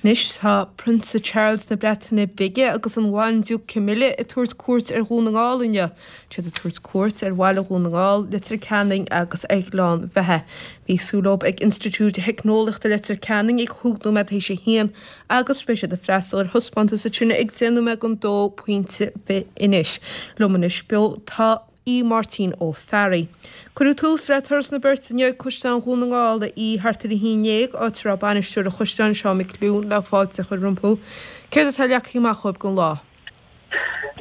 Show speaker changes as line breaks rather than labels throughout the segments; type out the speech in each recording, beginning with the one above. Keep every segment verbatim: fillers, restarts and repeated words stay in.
Anois tá Prionsa Charles na Breataine Bige agus an Bhandiúc Camilla ag tabhairt cuairt ar Dhún na nGall inniu. Siad ag tabhairt cuairt ar bhaile Dhún na nGall, Leitir Ceanainn agus ar Ghleann Bheatha. Bhí súil leo ag Institiúid Theicneolaíochta Leitir Ceanainn ag cúig nóiméad théis a haon agus beidh siad ag freastal ar thaispeántas ansin ag deich nóiméad don dó pointe anois. Liom anois beo tá Aodh Máirtín Ó Fearraigh. Cuireadh tús le turas na beirte inniu ag Caisleán Dhún na nGall a Aoidh thart ar a haon déag, áit a raibh bainisteoir an chaisleáin Seán Mac Fhliúin le fáilte a chur rompu. Céard atá leagtha amach dhóibh don lá?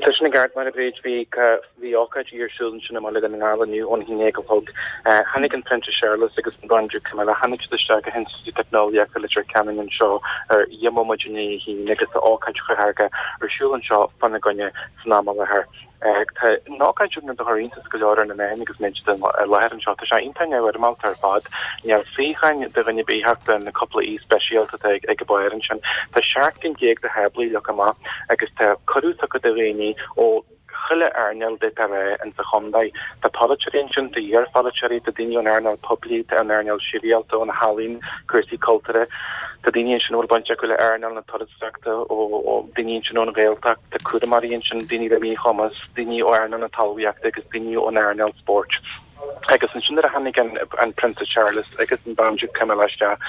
Tá sin i gceart, a Mháire Bhríd. Bhí bhí ócáid ar siúl ansin i mBaile Dhún na nGall inniu ón haon déag a chlog. Tháinig an Prionsa Séarlas agus an Bandiúc Camilla, tháinig siad isteach go hInstitiúid Teicneolaíochta Leitir Ceanainn anseo ar dheich mbomaite i ndiaidh a haon agus tá ócáid chathartha ar siúl anseo fána gcoinne san am i láthair. Tá an ócáid sin rud a chuir iontas go leor ar na meáin agus muid i láthair anseo. Tá sé iontach neamhfhoirmeálta ar fad. Níl suíocháin do dhuine ar bith ach do na cúpla aoi speisialta atá ag an barr ansin. Tá seacht gcinn déag de tháblaí leagtha amach agus tá cuireadh tugtha do dhaoine ó chuile earnáil d'fhéadfá a rá insa chontae. Tá polaiteoirí ansin, tá iarpholaiteoirí, tá daoine ón earnáil poiblí, tá ón earnáil sibhialta, ó na healaíona, cúrsaí cultúrtha. Tá daoine ansin a bhfuil baint acu le earnáil na turasóireachta, ó daoine ansin ón Ghaeltacht, tá cúramóirí ansin, daoine le míchumas, daoine ó earnáil na talmhaíochta agus daoine ón earnáil spóirt. Agus ansin nuair a tháinig an Prionsa Charles agus an Bandiúc Camilla isteach,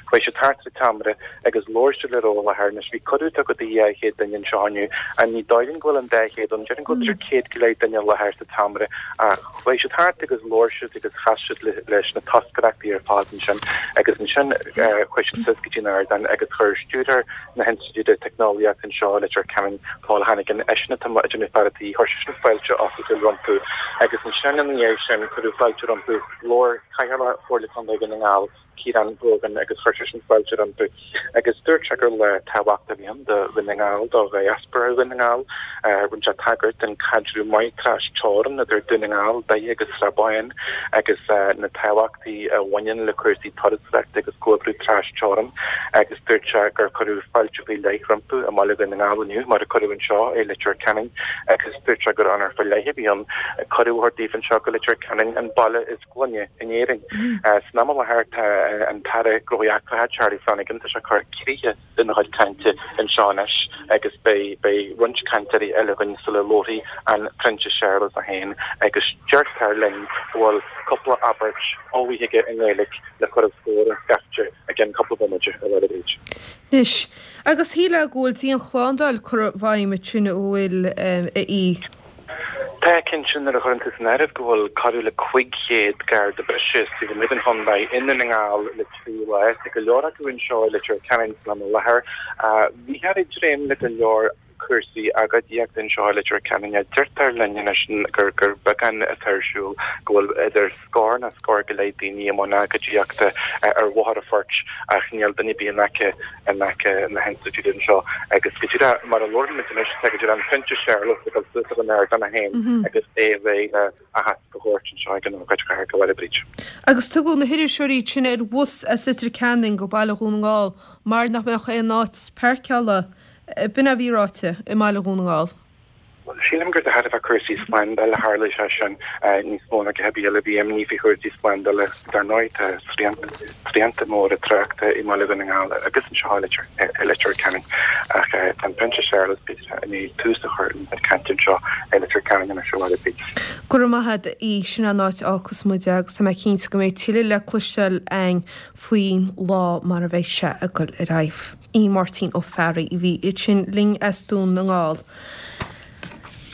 chuaigh siad thart ar an tseomra agus labhair siad le raibh i láthair. Anois bhí cuireadh tugtha do dhá chéad duine anseo inniu, and ní dóigh liom go bhfuil an dá chéad ann, déarfainn go bhfuil b'fhéidir céad go leith duine i láthair sa tseomra ach chuaigh siad thart agus labhair siad agus chas siad leis na toscaireachtaí ar fad ansin agus ansin chuaigh siad suas go dtí an ardán agus chuir stiúrthóir na hInstitiúide Teicneolaíochta anseo i Leitir Ceanainn, Paul Hannigan, eisean atá ag déanamh faire tí, chuir seisean fáilte oifigiúil rompu agus ansin ina dhiaidh sin cuireadh fáilte rompu, labhair Cathaoirleach Chomhairle Contae Dhún na nGall, Ciarán Brogan agus chuir seisean fáilte rompu agus dúirt sé gur lá tábhachtach a bhí ann do Dhún na nGall, do dhiaspóra Dhún na nGall. Rinne sé tagairt don chaidreamh maith tras-teorann idir Dún na nGall, Doire agus Srath Bán agus na tábhachtaí a bhaineann le cúrsaí turasóireachta agus comhoibriú tras-teorann agus dúirt sé gur cuireadh fáilte faoi leith rompu i mbaile Dhún na nGall inniu mar a cuireadh anseo i Leitir Ceanainn agus dúirt sé gur onóir faoi leith a bhí ann cuireadh a thabhairt daofa anseo go Leitir Ceanainn, an baile is glaine in Éirinn. San am i láthair tá an tAire Gnóthaí Eachtracha Charlie Flanagan, tá sé ag cur críche lena chuid cainte anseo anois agus beidh beidh roinnt cainteoirí eile againn sula labharfaidh an Prionsa Séarlas é féin agus deirtear linn go bhfuil cúpla abairt ullmhaithe aige i nGaeilge le cur os comhair an scaifte i gceann cúpla bomaite, a Mháire Bhríd.
Anois, agus shílfeá go bhfuil dianshlándáil curtha i bhfeidhm ansin a bhfuil, a Aoidh.
Tá, cinnte, nuair a chuireann tú san áireamh go bhfuil corradh le cúig chéad garda breise taobh amuigh den chontae i nDún na nGall le trí lá, tá go leor acu anseo i Leitir Ceanainn san am i láthair. Bhíthear ag dréim le go leor cúrsaí agóidíochta anseo i Leitir Ceanainn. Deirtear linn anois gur gur beagán atá ar siúl, go bhfuil idir scór nó scór go leith daoine i mbun agóidíochta ar Bhóthar an Phoirt ach níl duine ar bith in aice in aice na hinstitiúide anseo agus go díreach mar a labhrann muid anois tá go díreach an Prionsa Séarlas ag dul suas ar an ardán é féin agus é réidh le aitheasc a thabhairt anseo ag an ócáid chathartha, a Mháire Bríd.
Agus tugadh na hiriseoirí sin ar bhus as Leitir Ceanainn go Baile Dhún na nGall mar nach mbeadh aon áit páirceála, b'in a bhí ráite, i mBaile Dhún na nGall.
Bhuel, sílim gur de thairbhe cúrsaí slándála a tharla sé sin níos mó ná a dhath ar bith eile. Bhí imní faoi chúrsaí slándála. Dar ndóigh, tá srianta móra tráchta i mBaile Dhún na nGall agus anseo i Leitir Ceanainn. Ach tá an Prionsa Séarlas, b'fhéidir, i ndiaidh tús a chur lena chuid cainte anseo i Leitir Ceanainn anois, a Mháire Bríd.
Go raibh maith agat, a Aoidh. Sin an áit a fhágfas muid agus tá mé cinnte go mbeidh tuilleadh le cloisteáil againn faoin lá mar a bheidh sé ag dul ar aghaidh. Aodh Máirtín Ó Fearraigh a bhí ansin linn as Dún na nGall.